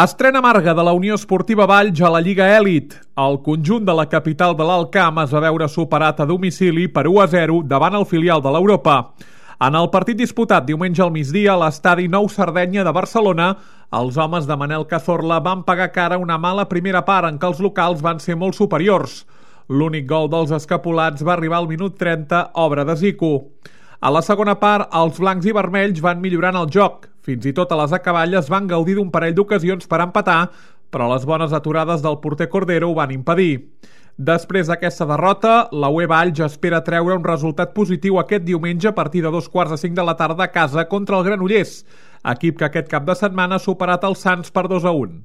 Estrena amarga de la Unió Esportiva Valls a la Lliga Elit. El conjunt de la capital de l'Alt Camp es va veure superat a domicili per 1-0 davant el filial de l'Europa. En el partit disputat diumenge al migdia a l'estadi Nou Sardenya de Barcelona, els homes de Manel Cazorla van pagar cara una mala primera part en què els locals van ser molt superiors. L'únic gol dels escapulats va arribar al minut 30, obra de Zico. A la segona part, els blancs i vermells van millorant el joc. Fins i tot a les acaballes van gaudir d'un parell d'ocasions per empatar, però les bones aturades del porter Cordero ho van impedir. Després d'aquesta derrota, la UE Valls espera treure un resultat positiu aquest diumenge a partir de 2:45 de la tarda a casa contra el Granollers, equip que aquest cap de setmana ha superat el Sants per 2-1.